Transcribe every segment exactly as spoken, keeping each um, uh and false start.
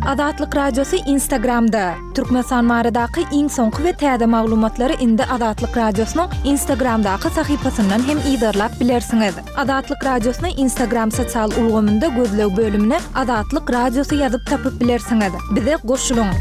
Azatlyk Radiosy Instagramda. Türkmenistan baradaky iň soňky we täze maglumatlary indi Azatlyk Radiosynyň Instagramdaky sahypasyndan hem yzarlap bilersiňiz. Azatlyk Radiosyny Instagram sosial ulgamynda gözleg bölümine Azatlyk Radiosy ýazyp tapyp bilersiňiz. Bize goşulyň.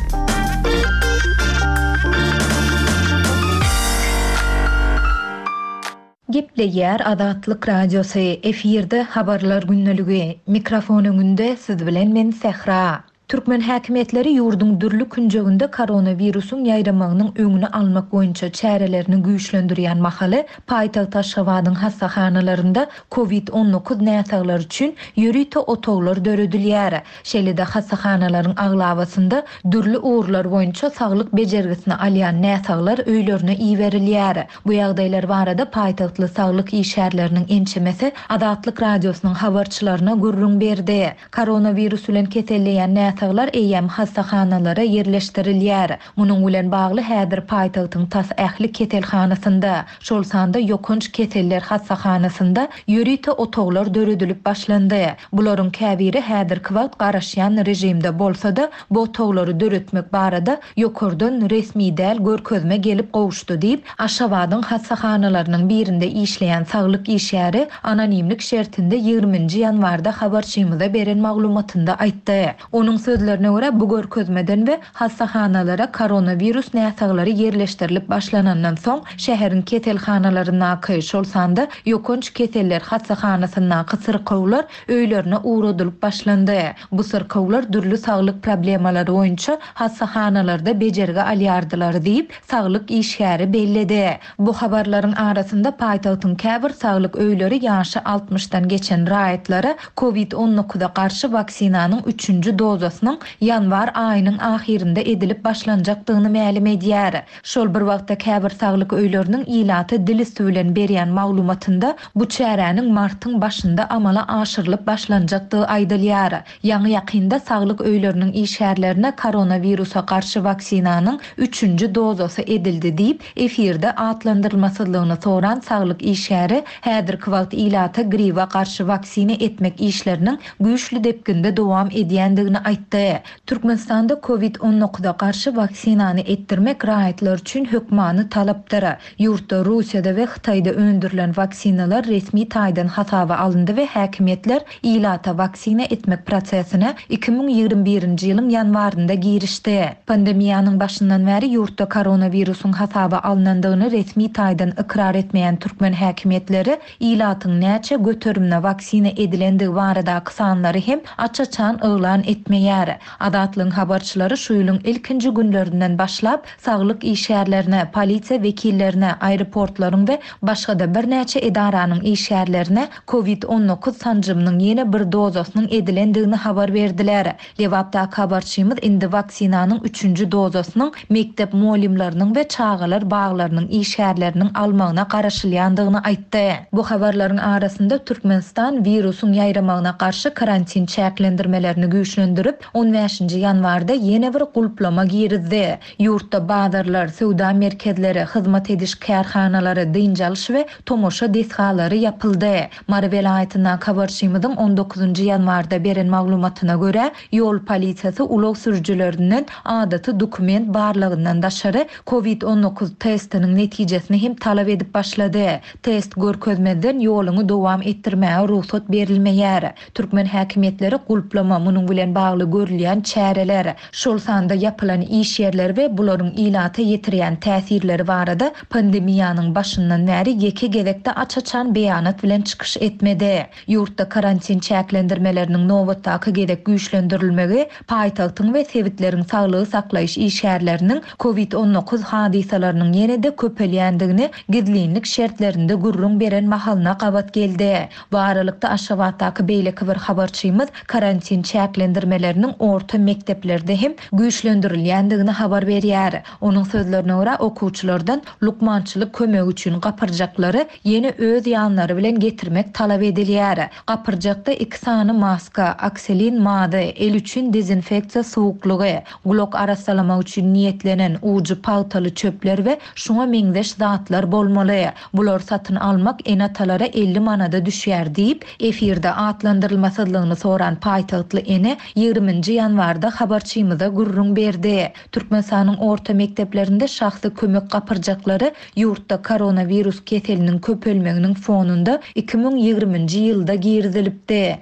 Gepleýär Azatlyk Radiosy, efirde habarlar gündeligi. Mikrofon öňünde siz bilen men Sähra. Türkmen häkimiýetleri ýurduň dürli künjeginde koronawirusyň ýaýramagynyň öňüni almak boýunça çärelerini güýçlendirýän mahaly paýtagt Aşgabadyň hassahanalarynda COVID on dokuz näsaglar üçin ýörite otaglar döredilýär. Şeýle-de hassahanalaryň aglabasynda dürli ugurlar boýunça saglyk bejergisini alýan näsaglar öýlerine iberilýär. Bu ýagdaýlar barada paýtagtly saglyk işgärleriniň ençemesi Azatlyk Radiosynyň habarçylaryna gürrüň berdi. Koronawirus bilen keselleýän näsaglar eýýäm hassahanalara ýerleşdirilýär. Munuň bilen bagly häzir paýtagtyň tas ähli keselhanasynda, şol sanda ýokanç keseller hassahanasynda ýörite otaglar döredilip başlandy. Bularyň käbiri häzirki wagt garaşýan rejimde bolsa-da, bu otaglary döretmek barada ýokardan resmi däl görkezme gelip gowuşdy diýip, Aşgabadyň hassahanalarynyň birinde işleýän saglyk işgäri anonimlik şertinde ýigriminji ýanwarda habarçymyza beren maglumatynda aýtdy. Onuň sözlerine görä bu görkezmeden we hassahanalara koronavirus näsaglary ýerleşdirilip başlanandan soň şäheriň keselhanalaryndaky, şol sanda ýokanç keseller hassahanasyndaky syrkawlar öýlerine ugradylyp başlandy. Bu syrkawlar dürli saglyk problemalary boýunça hassahanalarda bejergi alýardylar diýip, saglyk işgäri belledi. Bu habarlaryň arasynda paýtagtyň käbir saglyk öýleri ýaşy altmyşdan geçen raýatlara COVID on dokuza garşy waksinanyň üçünji dozasynyň ýanwar aýynyň ahyrynda edilip başlanjakdygyny mälim edýär. Şol bir wagtda käbir saglyk öýleriniň ilaty dil üstü bilen berýän maglumatynda bu çäräniň martyň başynda amala aşyrylyp başlanjakdygy aýdylýar. Ýaňy ýakynda saglyk öýleriniň işgärlerine koronawirusa garşy waksinanyň üçünji dozasy edildi diýip, efirde atlandyrylmasyzlygyny soran saglyk işgäri häzirki wagt ilata gribe garşy waksina etmek işleriniň güýçli depginde dowam edýändigini aýtdy. Türkmenistanda COVID on dokuza garşy waksinany etdirmek raýatlar üçin hökmany talapdyr. Ýurtda Russiýada we Hytaýda öndürilen waksinalar resmi taýdan hasaba alyndy we häkimiýetler ilata waksina etmek prosesine iki müň ýigrimi birinji ýylyň ýanwarynda girişdi. Pandemiýanyň başyndan bäri ýurtda koronawirusyň hasaba alynandygyny resmi taýdan ykrar etmeýän türkmen häkimiýetleri ilatyň näçe göterimine waksina edilendigi baradaky sanlary hem aç-açan yglan etmeýär. Azatlygyň habarçylary şu ýylyň ilkinji günlerinden başlap saglyk işgärlerine, polisiýa wekillerine, aeroportlaryň we başga-da birnäçe edaranyň işgärlerine COVID on dokuz sanjymynyň ýene bir dozasynyň edilendigini habar berdiler. Lebapdaky habarçymyz indi waksinanyň üçünji dozasynyň mekdep muallimleriniň we çagalar baglarynyň işgärleriniň almagyna garaşylýandygyny aýtdy. Bu habarlaryň arasynda Türkmenistan wirusyň ýaýramagyna garşy karantin çäklendirmelerini güýçlendirip, on bäşinji ýanwarda ýene bir gulplama girizdi. Ýurtda bazarlar, söwda merkezleri, hyzmat ediş kärhanalary, dynç alyş we tomaşa desgalary ýapyldy. Mary welaýatyndan habarçymyzyň on dokuzynjy ýanwarda beren maglumatyna görä, ýol polisiýasy ulag sürüjilerinden adaty dokument barlygyndan daşary COVID on dokuz testiniň netijesini hem talap edip başlady. Test görkezmeden ýoluny dowam etdirmäge rugsat berilmeýär. Türkmen häkimiýetleri gulplama, munuň bilen bagly görülýän çäreler, şol sanda ýapylan iş ýerleri we bularyň ilata ýetirýän täsirleri barada pandemiýanyň başyndan bäri ýeke gezekde aç-açan beýanat bilen çykyş etmedi. Ýurtda karantin çäklendirmeleriniň nobatdaky gezek güýçlendirilmegi, paýtagtyň we sebitleriň saglygy saklaýyş işgärleriniň COVID on dokuz hadysalarynyň ýene-de köpelýändigini gizlinlik şertlerinde gürrüň beren mahalyna gabat geldi. Bu aralykda Aşgabatdaky beýleki bir habarçymyz karantin çäklendirmeleriniň orta mekdeplerde hem güýçlendirilýändigini habar berýär. Onuň sözlerine görä okuwçylardan lukmançylyk kömegi üçin gapyrjaklary ýene öz ýanlary bilen getirmek talap edilýär. Gapyrjakda iki sany maska, akselin mazy, el üçin dezinfeksiýa suwuklygy, gulak arassalamak üçin niýetlenen ujy pagtaly çöpler we şuňa meňzeş zatlar bolmaly. Bular satyn almak ene-atalara elli manada düşýär diýip, efirde atlandyrylmasyzlygyny soran paýtagtly ene ýigrimi ýigriminji ýanwarda habarçymyza gürrüň berdi. Türkmenistanyň orta mekdeplerinde şahsy kömek gapyrjaklary ýurtda koronawirus keseliniň köpelmeginiň fonunda iki müň ýigriminji ýylda girizilipdi.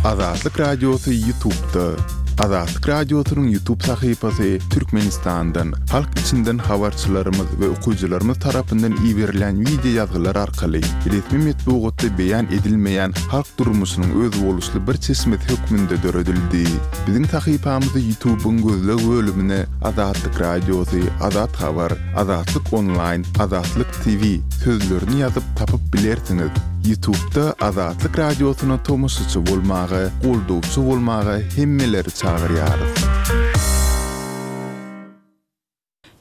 Azatlyk Radiosy YouTube'da. Azatlyk Radiosynyň YouTube sahypasy Türkmenistandan, halk içinden habarçylarymyz we okyjylarymyz tarapyndan iberilen wideo ýazgylar arkaly resmi metbugatda beýan edilmeýän halk durmuşynyň özboluşly bir çeşmesi hökmünde döredildi. Biziň sahypamyzy YouTube'yň gözleg bölümine Azatlyk Radiosy, Azat Habar, Azatlyk Online, Azatlyk T V sözlerini ýazyp tapyp bilersiňiz. YouTube'da Azatlyk Radiosyna tomaşaçy bolmaga, goldawçy bolmaga hemmeleri çagyrýarys.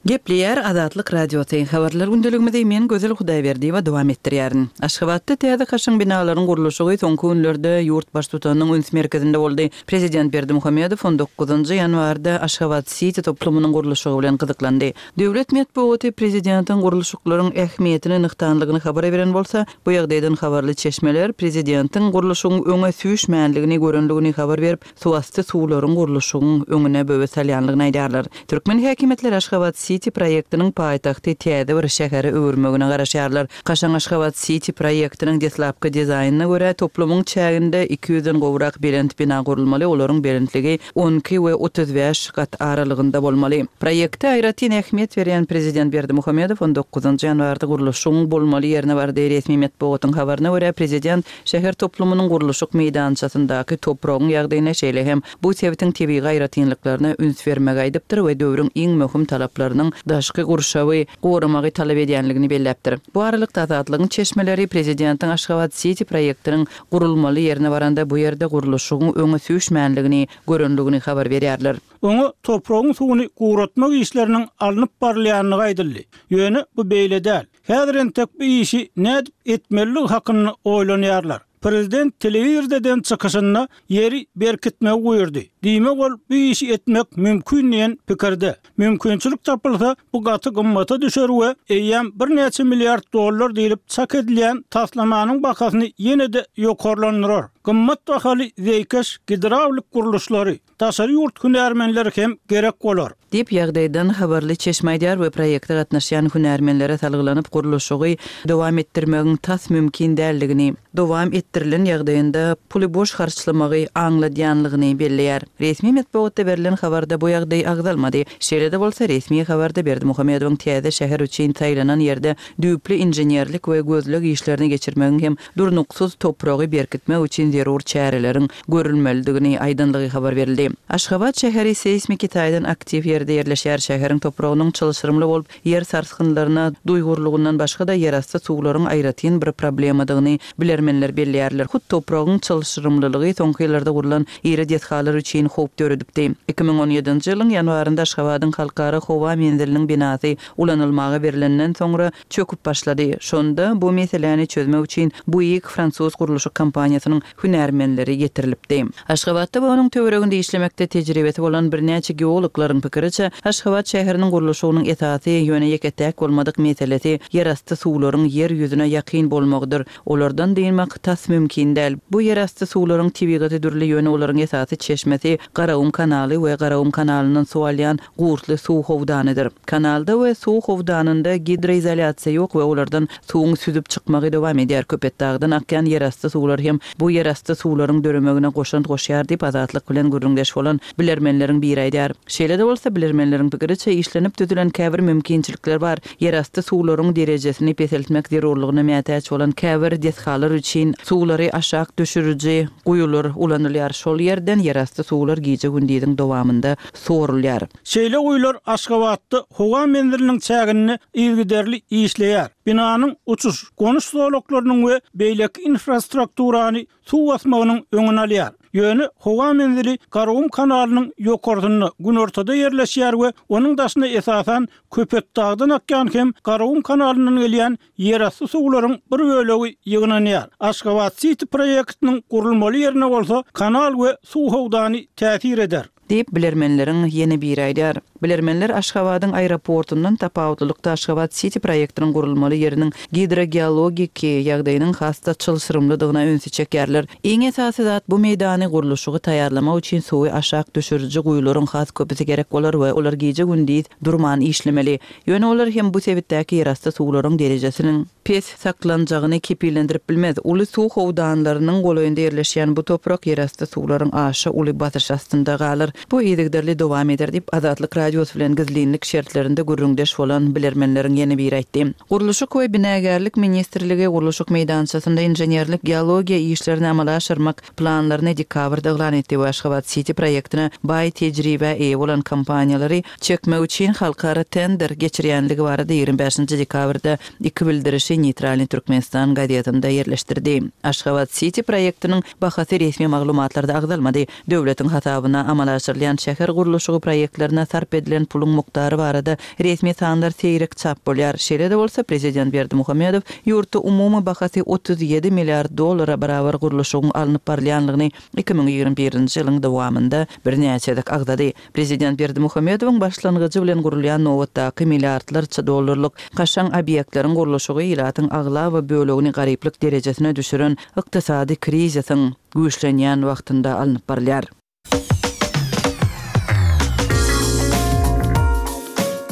Gepleýär Azatlyk Radiosy. Habarlar gündeligimizi men Gözel Hudaýberdiýewa dowam etdirýärin. Aşgabatda täze kaşaň binalaryň gurluşygy soňky günlerde ýurt baştutanynyň üns merkezinde boldy. Prezident Berdimuhamedow on dokuzynjy ýanwarda Aşgabat City toplumynyň gurluşygy bilen gyzyklandy. Döwlet metbugaty prezidentiň gurluşyklaryň ähmiýetini nygtanlygyny habar beren bolsa, bu ýagdaýdan habarly çeşmeler prezidentiň gurluşygyň öňe süýşmänligini görenligini habar berip, suwasty suwlaryň gurluşygyň öňüne böwet salýanlygyny aýdarlar. Türkmen häkimiýetleri Aşgabat City proýektiniň paýtagty täze bir şähere öwürmegine garaşýarlar. Kaşaň Aşgabat City proýektiniň deslapky dizaýnyna görä toplumyň çäginde iki ýüzden gowrak belent bina gurulmaly, olaryň belentligi on iki we otuz bäş gat aralygynda bolmaly. Proýekte aýratyn ähmiýet berýän prezident Berdimuhamedow on dokuzynjy ýanwarda gurluşygyň bolmaly ýerine bardy. Resmi metbugatyň habaryna görä prezident şäher toplumynyň gurluşyk meýdançasyndaky topragyň ýagdaýyna şeýle hem bu sebitiň tebigy aýratynlyklaryna üns bermegi aýdypdyr we döwrüň iň möhüm talaplarynyň daşky gurşawy goramagy talap edýänligini belläpdir. Bu aralykda Azatlygyň çeşmeleri prezidentiň Aşgabat City proýektiniň gurulmaly ýerine baranda bu ýerde gurluşygyň öňe süýşmänligini görenligini habar berýärler. Oňa topragyň suwuny guratmak işleriniň alnyp barylýanlygy aýdyldy. Ýöne bu beýle däl. Häzir entek bu işi nädip etmeliligi hakynda oýlanýarlar. Prezident telewizordan çykyşynda ýeri berkitmegi buýurdy. Diýmek ol bu işi etmek mümkin diýen pikirde. Mümkinçilik tapylsa bu gaty gymmata düşer we eýýäm birnäçe milliard dollar diýlip çak edilýän taslamanyň bahasyny ýene-de ýokarlandyrar. Gymmat bahaly zeýkeş gidrawlik gurluşlary, daşary ýurt hünärmenleri hem gerek bolar. Diýip ýagdaýdan habarly çeşme aýdar we proýekte gatnaşýan hünärmenlere salgylanyp gurluşygy dowam etdirmegiň tas mümkin däldigini, dowam etdirilen ýagdaýynda puly boş harçlamagy aňladýanlygyny belleýär. Resmi metbugatda berlen habarda bu ýagdaý agzalmady. Şeýle-de bolsa resmi habarda Berdimuhamedowyň täze şäher üçin saýlanan ýerde düýpli inženerlik we gözleg işlerini geçirmegiň hem durnuksyz topragy berkitmek üçin zerur çäreleriň görülmelidigini aýdanlygy habar berildi. Aşgabat şäheri seýsmiki taýdan aktiw ýerde ýerleşýär. Şäheriň topragynyň çylşyrymly bolup, ýer sarsgynlaryna duýgurlygyndan başga-da ýerasty suwlaryň aýratyn bir problemadygyny bilermenler belleýärler. Hut topragyň çylşyrymlylygy soňky ýyllarda gurlan iri desgalar üçin howp döredipdi. iki müň on ýedinji ýylyň ýanwarynda Aşgabadyň halkara howa menziliniň binasy ulanylmaga berilenden soňra çöküp başlady. Şonda bu meseläni çözmek üçin Buig fransuz gurluşyk kompaniýasynyň hünärmenleri getirilipdi. Aşgabatda we onuň töwereginde işlemekde tejribesi bolan birnäçe geologlaryň pikiriçe, Aşgabat şäheriniň gurluşygynyň esasy ýöne ýeke-täk bolmadyk meselesi ýerasty suwlaryň ýer ýüzüne ýakyn bolmagydyr. Olardan dynmak tas mümkin däl. Bu ýerasty suwlaryň tebigaty dürli ýöne olaryň esasy çeşmesi Garagum kanaly we Garagum kanalyndan suw alýan Gurtly suw howdanydyr. Kanalda we suw howdanynda gidroizolýasiýa ýok we olardan suwuň süzüp çykmagy dowam edýär. Köpetdagdan akýan ýerasty suwlar hem bu ýerasty suwlaryň döremegine goşant goşýar diýip Azatlyk bilen gürrüňdeş bolan bilermenleriň biri aýdar. Şeýle-de bolsa bilermenleriň pikiriçe işlenip düzülen käbir mümkinçilikler bar. Ýerasty suwlaryň derejesini peseltmek zerurlygyna mätäç bolan käbir desgalar üçin suwlary aşak düşüriji guýular ulanylýar. Şol ýerden ýerasty suwlar gije gündiziň dowamynda sorulýar. Şeýle guýular Aşgabatda howa menziliniň çäginde yzygiderli işleýär. Binanyň uçuş, gonuş zolaklarynyň we beýleki infrastrukturany suw basmagynyň öňüni alýar. Ýöne howa menzili Garagum kanalynyň ýokarsynda günortada ýerleşýär we onuň daşyna esasan Köpetdagdan akýan hem Garagum kanalyndan gelýän ýerasty suwlaryň bir bölegi ýygnanýar. Aşgabat City proýektiniň gurulmaly ýerine bolsa kanal we suw howdany täsir eder. Diýip, bilermenleriň ýene biri aýdýar. Bilermenler Aşgabadyň aeroportundan tapawutlylykda Aşgabat Siti proýektiniň gurulmaly ýeriniň gidrogeologiki ýagdaýynyň has-da çylşyrymlydygyna ünsi çekýärler. Iň esasy zat bu meýdany gurluşygy taýýarlamak üçin suwy aşak düşüriji guýularyň has köpüsi gerek bolar we olar gije-gündiz durman işlemeli. Ýöne olar hem bu sebitdäki ýerasty suwlaryň derejesiniň pes saklanjagyny kepillendirip bilmez. Uly suw howdanlarynyň golaýynda ýerleşýän bu toprak ýerasty suwlaryň aşa uly basyş astynda galar. Bu yzygiderli dowam eder diýip, Azatlyk Radiosy bilen gizlinlik şertlerinde gürrüňdeş bolan bilermenleriň ýene biri aýtdy. Gurluşyk we binagärlik ministrligi gurluşyk meýdançasynda inženerlik geologiýa işlerini amala aşyrmak planlaryny dekabrda yglan etdi we Aşgabat Siti proýektine baý tejribä eýe bolan kompaniýalary çekmek üçin halkara tender geçirýänligi barada ýigrimi bäşinji dekabrda iki bildirişi Neýtralnyý Türkmenistan gazetinde ýerleşdirdi. Aşgabat Siti proýektiniň bahasy resmi maglumatlarda agzalmady. Döwletiň hasabyna amala aşyrylýan şäher gurluşygy proýektlerine sarp edilen puluň mukdary barada resmi sanlar seýrek çap bolýar. Şeýle-de bolsa, prezident Berdimuhamedow ýurtda umumy bahasy otuz ýedi milliard dollara barabar gurluşygyň alnyp barylýanlygyny iki müň ýigrimi birinji ýylyň dowamynda birnäçe gezek agzady. Prezident Berdimuhamedowyň başlangyjy bilen gurulýan nobatdaky milliardlarça dollarlyk kaşaň obýektleriň gurluşygy ilatyň aglaba bölegini garyplyk derejesine düşüren ykdysady krizisiň güýçlenýän wagtynda alnyp barylýar.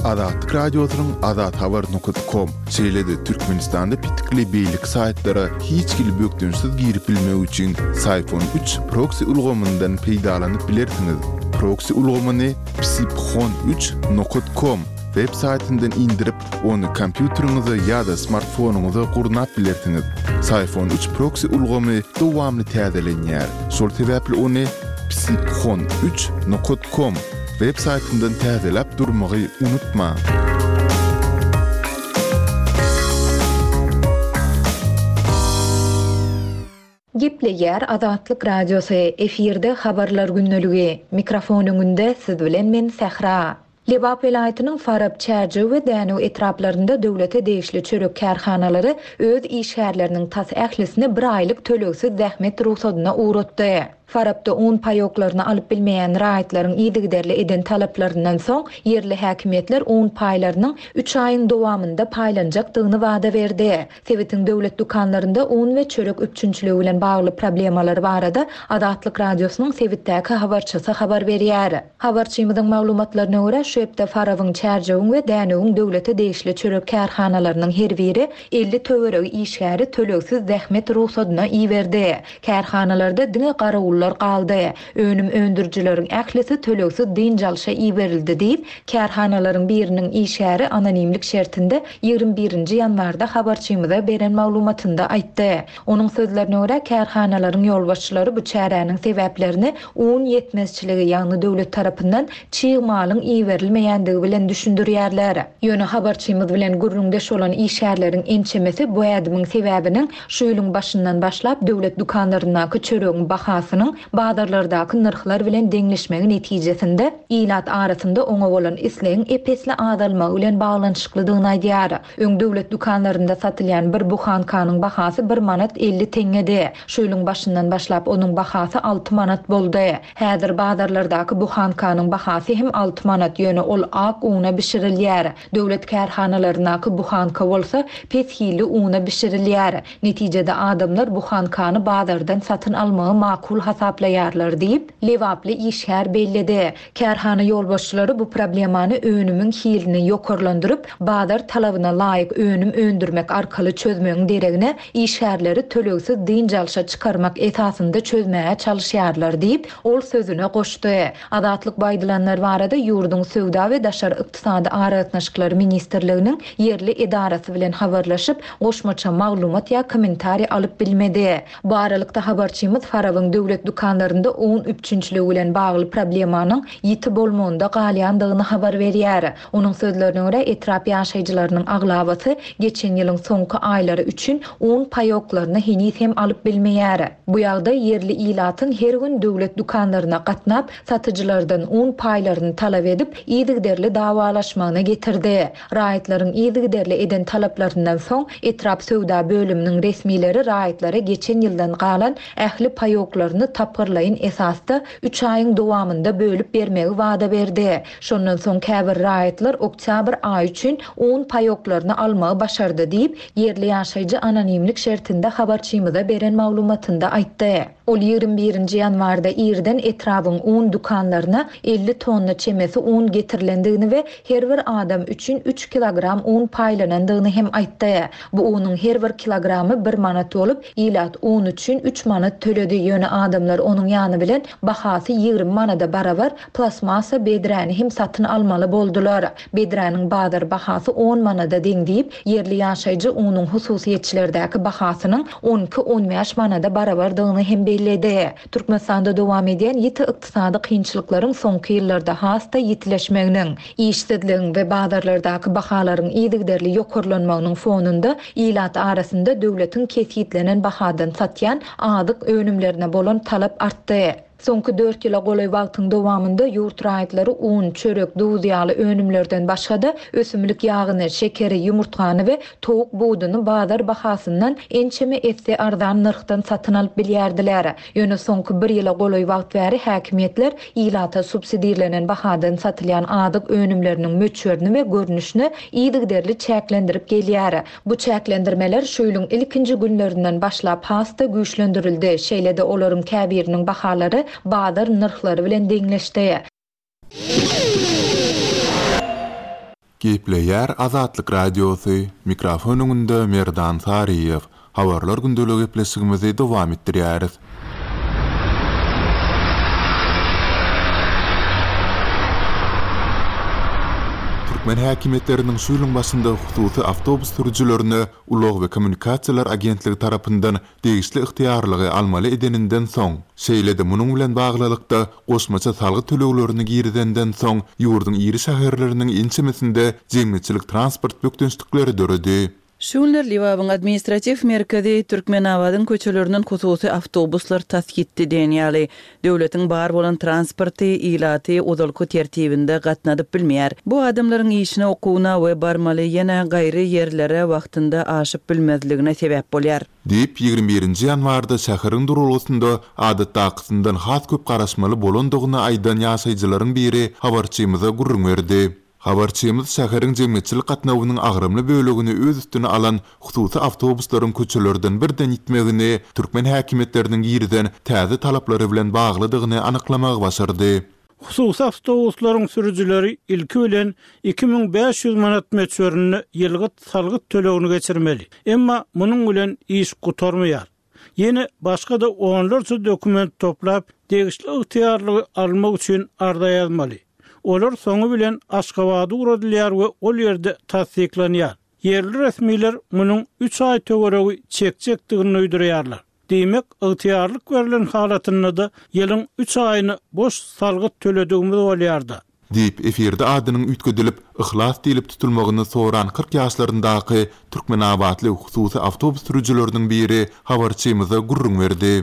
Azatlyk Radiosynyň azathabar nokta com, şeýle-de Türkmenistanda pitikli beýleki saýtlara hiç hili bökdençsiz girip bilmek üçin Syfon üç proksi ulgamyndan peýdalanyp bilersiňiz. Proksi ulgamyny psiphon üç nokta com web saýtyndan indirip, ony kompýuteriňize ýa-da smartfonyňyza gurnap bilersiňiz. Syfon üç proksi ulgamy dowamly täzelenýär. Şol sebäpli ony psiphon üç nokta com web saýtyndan täzeläp durmagy unutma. Gepleýär Azatlyk Radiosy, efirde habarlar gündeligi. Mikrofon öňünde siz bilen men Sähra. Lebap welaýatynyň Farap, Çärjew we Dänew etraplarynda döwlete degişli çörek kärhanalary öz işgärleriniň tas ählisini bir aýlyk tölegsiz zähmet rugsadyna ugratdy. Farapda un paýoklaryny alyp bilmeýän raýatlaryň yzygiderli eden talaplaryndan soň ýerli häkimiýetler un paýlarynyň üç aýyň dowamynda paýlanjakdygyny wada berdi. Sebitiň döwlet dükanlarynda un we çörek üpjünçiligi bilen bagly problemalar barada Azatlyk Radiosynyň sebitdäki habarçysy habar berýär. Habarçymyzyň maglumatlaryna görä, şu hepde Farabyň, Çärjewiň we Dänewiň döwlete degişli çörek kärhanalarynyň her biri elli töweregi işgäri tölegsiz zähmet rugsadyna iberdi. Kärhanalarda diňe garawullar galdy. Önüm öndürijileriň ählisi tölegsiz dynç alşa iberildi diýip, kärhanalaryň biriniň işgäri anonimlik şertinde ýigrimi birinji ýanwarda habarçymyza beren maglumatynda aýtdy. Onuň sözlerine görä, kärhanalaryň ýolbaşçylary bu çäräniň sebäplerini un ýetmezçiligi, ýagny döwlet tarapyndan çig malyň iberilmeýändigi bilen düşündirýärler. Ýöne habarçymyz bilen gürrüňdeş bolan işgärleriň ençemesi bu ädimiň sebäbiniň şu ýylyň başyndan başlap döwlet dükanlaryndaky çöregiň bahasynyň bazarlardaky nyrhlar bilen deňleşmegi netijesinde ilat arasynda oňa bolan islegiň epesli azalmagy bilen baglanyşyklydygyny aýdýar. Öň döwlet dükanlarynda satylýan bir buhankanyň bahasy bir manat elli teňňedi. Şu ýylyň başyndan başlap onuň bahasy alty manat boldy. Häzir bazarlardaky buhankanyň bahasy hem alty manat, ýöne ol ak una bişirilýär. Döwlet kärhanalaryndaky buhanka bolsa pes hilli una bişirilýär. Netijede adamlar buhankany bazardan satyn almagy makul hasaplaýarlar diýip, Lebaply işgär belledi. Kärhana ýolbaşçylary bu problemany önümiň hilini ýokarlandyryp, bazar talabyna laýyk önüm öndürmek arkaly çözmegiň deregine işgärleri tölegsiz dynç alşa çykarmak esasynda çözmäge çalışýarlar diýip, ol sözüne goşdy. Azatlyk baýdylanlar barada ýurduň Söwda we Daşary ykdysady aragatnaşyklary ministrliginiň ýerli edarasy bilen habarlaşyp, goşmaça maglumat ýa kommentariý alyp bilmedi. Bu aralykda habarçymyz Farabyň döwlet dükanlarynda un üpjünçiligi bilen bagly problemanyň ýiti bolmagynda galýandygyny habar berýär. Onuň sözlerine görä, etrap ýaşaýjylarynyň aglabasy geçen ýylyň soňky aýlary üçin un paýoklaryny heniz hem alyp bilmeýär. Bu ýagdaý ýerli ilatyň her gün döwlet dükanlaryna gatnap, satyjylardan un paýlaryny talap edip, yzygiderli dawalaşmagyna getirdi. Raýatlaryň yzygiderli eden talaplaryndan soň etrap söwda bölüminiň resmileri raýatlara geçen ýyldan galan ähli paýoklaryny tapgyrlaýyn esasda üç aýyň dowamynda bölüp bermegi wada berdi. Şondan soň käbir raýatlar oktýabr aýy üçin un paýoklaryny almagy başardy diýip, ýerli ýaşaýjy anonimlik şertinde habarçymyza beren maglumatynda aýtdy. Ol ýigrimi birinji ýanwarda irden etrabyň un dükanlaryna elli tonna çemesi un getirilendigini we her bir adam üçin üç kilogram un paýlanandygyny hem aýtdy. Bu unuň her bir kilogramy bir manat bolup, ilat un üçin üç manat töledi. Ýöne adamlar onuň ýany bilen bahasy ýigrimi manada barabar plastmassa bedräni hem satyn almaly boldular. Bedräniň bazar bahasy on manada deň diýip, ýerli ýaşaýjy unuň hususyýetçilerdäki bahasynyň on iki-on bäş manada barabardygyny hem belledi. Türkmenistanda dowam edýän ýiti ykdysady kynçylyklaryň soňky ýyllarda has-da ýitileşmeginiň, işsizligiň we bazarlardaky bahalaryň yzygiderli ýokarlanmagynyň fonunda ilat arasynda döwletiň kesgitlenen bahadan satýan azyk önümlerine bolan talap artdy. Soňky dört ýyla golaý wagtyň dowamynda ýurt raýatlary un, çörek, duz ýaly önümlerden başga-da ösümlik ýagyny, şekeri, ýumurtgany we towuk buduny bazar bahasyndan ençeme esse arzan nyrhdan satyn alyp bilýärdiler. Ýöne soňky bir ýyla golaý wagt bäri häkimiýetler ilata subsidirlenen bahadan satylýan azyk önümleriniň möçberini we görnüşini yzygiderli çäklendirip gelýär. Bu çäklendirmeler şu ýylyň ilkinji günlerinden başlap has-da güýçlendirildi. Şeýle-de olaryň käbiriniň bahalary bazar nyrhlary bilen deňleşdi. Gepleýär Azatlyk Radiosy, mikrofon öňünde Merdan Saryýew. Habarlar gündelik gepleşigimizi dowam etdirýäris. Türkmen häkimiýetleriniň şu ýylyň başynda hususy awtobus sürüjilerine Ulag we kommunikasiýalar agentligi tarapyndan degişli ygtyýarlygy almaly edeninden soň, şeýle-de munuň bilen baglylykda goşmaça salgyt töleglerini girizenden soň ýurduň iri şäherleriniň ençemesinde jemgyýetçilik transport bökdençlikleri döredi. Şu günler Lebabyň administratiw merkezi Türkmenabadyň köçelerinden hususy awtobuslar tas gitdi diýen ýaly, döwletiň bar bolan transporty ilaty ozalky tertibinde gatnadyp bilmeýär. Bu adamlaryň işine, okuwyna we barmaly ýene gaýry ýerlere wagtynda aşyp bilmezligine sebäp bolýar. Diýip, ýigrimi birinji ýanwarda şäheriň duralgasynda adatdakysyndan has köp garaşmaly bolandygyny aýdan ýaşaýjylaryň biri habarçymyza gürrüň berdi. Habarçymyz şäheriň jemgyýetçilik gatnawynyň agramly bölegini öz üstüne alan hususy awtobuslaryň köçelerden birden ýitmegini türkmen häkimiýetleriniň girizen täze talaplary bilen baglydygyny anyklamagy başardy. Hususy awtobuslaryň sürüjileri ilki bilen iki müň bäş ýüz manat möçberinde ýylgyt salgyt tölegini geçirmeli. Emma munuň bilen iş gutarmaýar. Ýene başga-da onlarça dokument toplap, degişli ygtyýarlygy almak üçin arza ýazmaly. Olar soňy bilen Aşgabada ugradylýar we ol ýerde tassyklanýar. Ýerli resmiler munuň üç aý töweregi çekjekdigini duýdurýarlar. Diýmek, ygtyýarlyk berlen halatynda-da ýylyň üç aýyny boş salgyt töledigimiz bolýardy. Diýip, efirde adynyň üýtgedilip, Yhlas diýlip tutulmagyny soran kyrk ýaşlaryndaky Türkmenabatly hususy awtobus sürüjileriniň biri habarçymyza gürrüň berdi.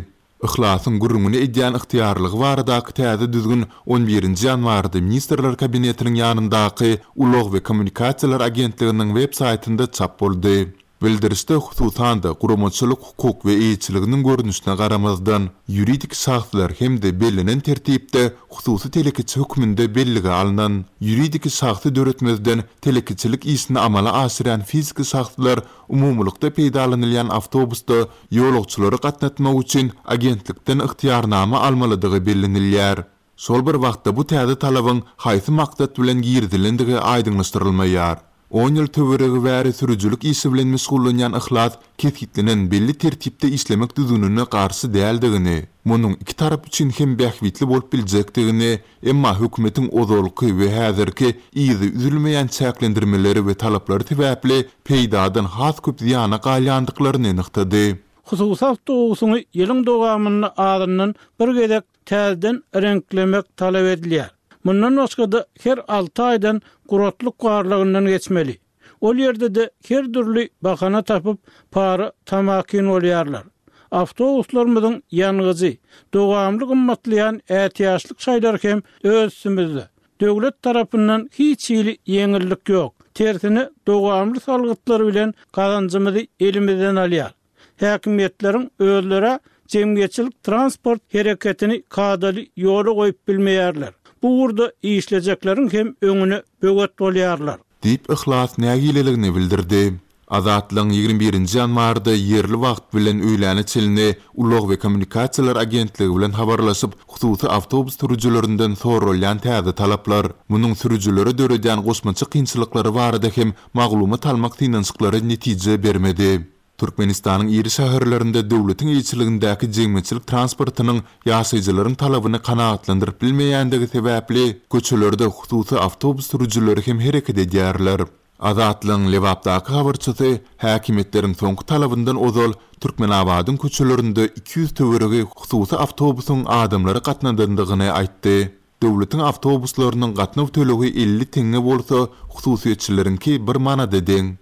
Yhlasyň gürrüňini edýän ygtyýarlygy baradaky täze düzgün on birinji ýanwarda Ministrler Kabinetiniň ýanyndaky Ulag we kommunikasiýalar agentliginiň web saýtynda çap boldy. Bildirişde hususan-da guramaçylyk hukuk we eýeçiliginiň görnüşine garamazdan, ýuridik şahslar hem-de bellenen tertipde hususy telekeçi hökmünde bellige alnan, ýuridik şahsy döretmezden telekeçilik işini amala aşyrýan fiziki şahslar umumylykda peýdalanylýan awtobusda ýolagçylary gatnatmak üçin agentlikden ygtyýarnama almalydygy bellenilýär. Şol bir wagtda bu täze talabyň haýsy maksat bilen girizilendigi aýdyňlaşdyrylmaýar. On ýyl töweregi bäri sürüjilik işi bilen meşgullanýan Yhlas kesgitlenen belli tertipde işlemek düzgünine garşy däldigini, munuň iki tarap üçin hem bähbitli bolup biljekdigini, emma hökümetiň ozalky we häzirki yzy üzülmeýän çäklendirmeleri we talaplary sebäpli peýdadan has köp zyýana galýandyklaryny nygtady. Hususy awtobusyny ýylyň dowamynda azyndan bir gezek täzeden reňklemek talap edilýär. Mundan başga-da her alty aýdan guratlyk barlagyndan geçmeli. Ol ýerde-de her dürli bahana tapyp para tamakin bolýarlar. Awtobuslarymyzyň ýangyjy, dowamly gymmatlaýan ätiýaçlyk şaýlar hem öz üstümizde. Döwlet tarapyndan hiç hili ýeňillik ýok. Tersine dowamly salgytlar bilen gazanjymyzy elimizden alýar. Häkimiýetleriň özlere jemgyýetçilik transport hereketini kadaly ýola goýup bilmeýärler. Bu ugurda işlejekleriň hem öňüne böwet bolýarlar. Diýip, Yhlas nägileligini bildirdi. Azatlygyň ýigrimi birinji ýanwarda ýerli wagt bilen öýläne çenli Ulag we kommunikasiýalar agentligi bilen habarlaşyp, hususy awtobus sürüjilerinden soralýan täze talaplar, munuň sürüjilere döredýän goşmaça kynçylyklary barada hem maglumat almak synanyşyklary netije bermedi. Türkmenistanyň iri şäherlerinde döwletiň eýeçiligindäki jemgyýetçilik transportynyň ýaşaýjylaryň talabyny kanagatlandyryp bilmeýändigi sebäpli, köçelerde hususy awtobus sürüjileri hem hereket edýärler. Azatlygyň Lebapdaky habarçysy häkimiýetleriň soňky talabyndan ozal Türkmenabadyň köçelerinde iki ýüz töweregi hususy awtobusyň adamlary gatnadandygyny aýtdy. Döwletiň awtobuslarynyň gatnaw tölegi elli teňňe bolsa, hususyýetçileriňki bir manada deň.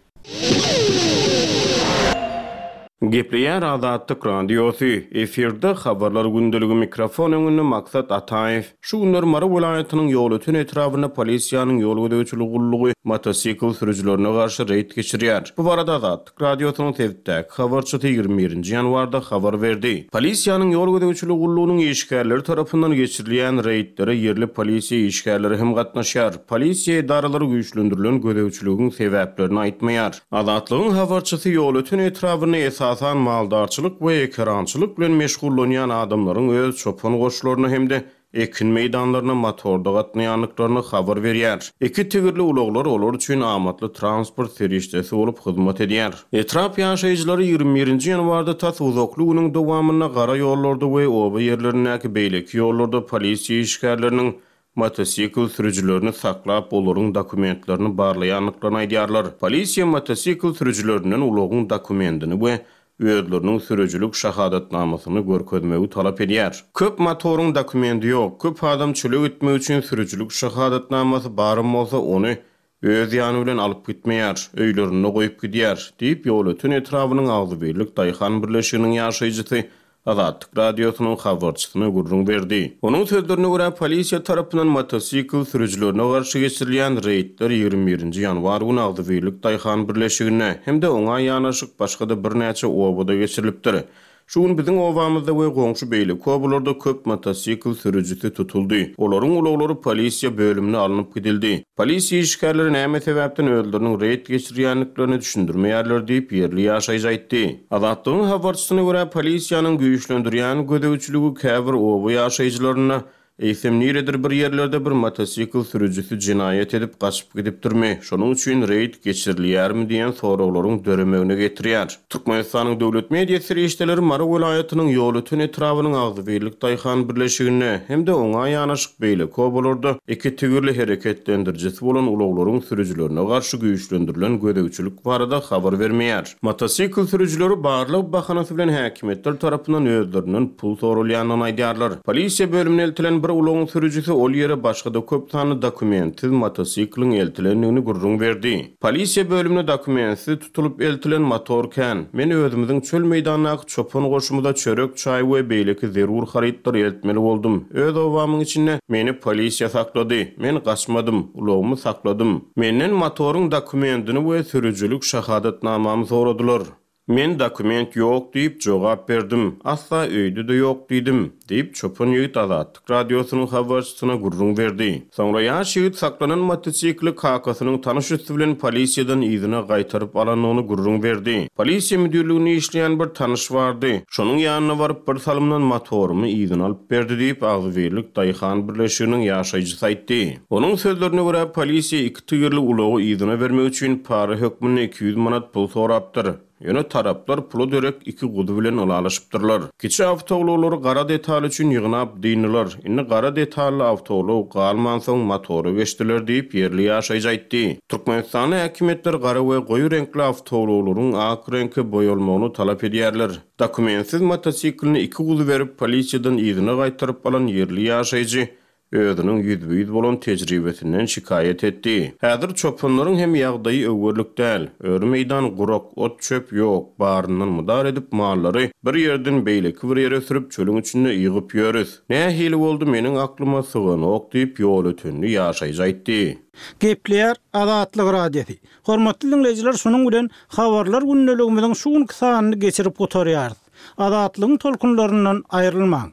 Gepleýär Azatlyk Radiosy, efirde Habarlar gündeligi mikrofon öňünde Maksat Ataýew. Şu günler Mary welaýatynyň Ýolöten etrabynda polisiýanyň ýol gözegçiligi gullugy motosikl sürüjilerine garşy reýd geçirýär. Bu barada Azatlyk Radiosynyň sebitdäki habarçysy ýigrimi birinji ýanwarda habar berdi. Polisiýanyň ýol gözegçiligi gullugynyň işgärleri tarapyndan geçirilýän reýdlere ýerli polisiýa işgärleri hem gatnaşýar. Polisiýa edaralary güýçlendirilen gözegçiligiň sebäplerini aýtmaýar. Azatlygyň habarçysy Ýolöten etrabynda esasan maldarçylyk we ekerançylyk bilen meşgullanýan adamlaryň öz çopan goşlaryna hem-de ekin meýdanlaryna motorda gatnaýandyklaryny habar berýär. Iki tigirli ulaglar olar üçin amatly transport serişdesi bolup hyzmat edýär. Etrap ýaşaýjylary ýigrimi birinji ýanwarda tas uzakly günüň dowamynda gara ýollarda we oba ýerlerindäki beýleki ýollarda polisiýa işgärleriniň motosikl sürüjilerini saklap, olaryň dokumentlerini barlaýandyklaryny aýdýarlar. Polisiýa motosikl sürüjilerinden ulagyň dokumentini we özleriniň sürüjilik şahadatnamasyny görkezmegi talap edýär. Köp motoryň dokumenti ýok, köp adam çöle gitmek üçin sürüjilik şahadatnamasy barym bolsa, ony öz ýany bilen alyp gitmeýär, öýlerinde goýup gidýär, diýip, Ýolöten etrabynyň Agzybirlik daýhan birleşiginiň ýaşaýjysy Azatlyk Radiosynyň habarçysyna gürrüň berdi. Onuň sözlerine görä, polisiýa tarapyndan motosikl sürüjilerine garşy geçirilýän reýdler ýigrimi birinji ýanwar güni Agzybirlik daýhan birleşiginde hem-de oňa ýanaşyk başga-da birnäçe obada geçirilipdir. Şu gün biziň obamyzda we goňşy beýleki obalarda köp motosikl sürüjisi tutuldy. Olaryň ulaglary polisiýa bölümine alnyp gidildi. Polisiýa işgärleri näme sebäpden özleriniň reýd geçirýändiklerini düşündirmeýärler diýip, ýerli ýaşaýjy aýtdy. Azatlygyň habarçysyna görä, polisiýanyň güýçlendirýän gözegçiligi käbir oba ýaşaýjylaryna eýsem niredir bir ýerlerde bir motosikl sürüjisi jenaýat edip gaçyp gidipdirmi, şonuň üçin reýd geçirilýärmi diýen soraglaryň döremegine getirýär. Türkmenistanyň döwlet media serişdeleri Mary welaýatynyň Ýolöten etrabynyň Agzybirlik daýhan birleşiginde hem-de oňa ýanaşyk beýleki obalarda iki tigirli hereketlendirijisi bolan ulaglaryň sürüjilerine garşy güýçlendirilen gözegçilik barada habar bermeýär. Motosikl sürüjileri barlyk bahanasy bilen häkimiýetler tarapyndan özlerinden pul sorulýandygyny aýdýarlar. Polisiýa bölümine eltilen bir ulagyň sürüjisi ol ýere başga-da köp sanly dokumentsiz motosikliň eltilendigini gürrüň berdi. Polisiýa bölümine dokumentsiz tutulyp eltilen motor kän. Men özümiziň çöl meýdandaky çopan goşumyza çörek, çaý we beýleki zerur harytlar eltmeli boldum. Öz obamyň içinde meni polisiýa saklady. Men gaçmadym, ulagymy sakladym. Menden motoryň dokumentini we sürüjilik şahadatnamamy soradylar. Men dokument ýok diýip jogap berdim. Asla öýde-de ýok diýdim, diýip çopan ýigit Azatlyk Radiosynyň habarçysyna gürrüň berdi. Soňra ýaş ýigit saklanan motosikli kakasynyň tanyş üsti bilen polisiýadan yzyna gaýtaryp alandygyny gürrüň berdi. Polisiýa müdirliginde işleýän bir tanyş bardy. Şonuň ýanyna baryp bir salymdan motorymy yzyna alyp berdi diýip Agzybirlik daýhan birleşiginiň ýaşaýjysy aýtdy. Onuň sözlerine görä polisiýa iki tigirli ulagy yzyna bermek üçin para hökmünde iki ýüz manat pul sorapdyr. Ýöne taraplar pula derek iki guzy bilen ylalaşypdyrlar. Kiçi awtoulaglary gara detal üçin ýygnap dyndylar. Indi gara detally awtoulag galmansoň motory geçdiler diýip ýerli ýaşaýjy aýtdy. Türkmenistanda häkimiýetler gara we goýy reňkli awtoulaglaryň ak reňke boýalmagyny talap edýärler. Dokumentsiz motosiklini iki guzy berip polisiýadan yzyna gaýtaryp alan ýerli ýaşaýjy özüniň ýüzbe-ýüz bolan tejribesinden şikaýat etdi. Häzir çopanlaryň hem ýagdaýy öwürlik däl. Öri meýdan gurak, ot çöp ýok, baryndan mudar edip mallary bir ýerden beýleki bir ýere sürüp çölüň içinde ýygyp ýörüs. Nähili boldy meniň aklyma syganok diýip Ýolötenli ýaşaýjy aýtdy. Gepleýär Azatlyk Radiosy. Hormatly dinleýjiler, şunuň bilen habarlar gündeligimiziň şu günki sanyny geçirip gutarýarys. Azatlygyň tolkunlaryndan aýrylmaň.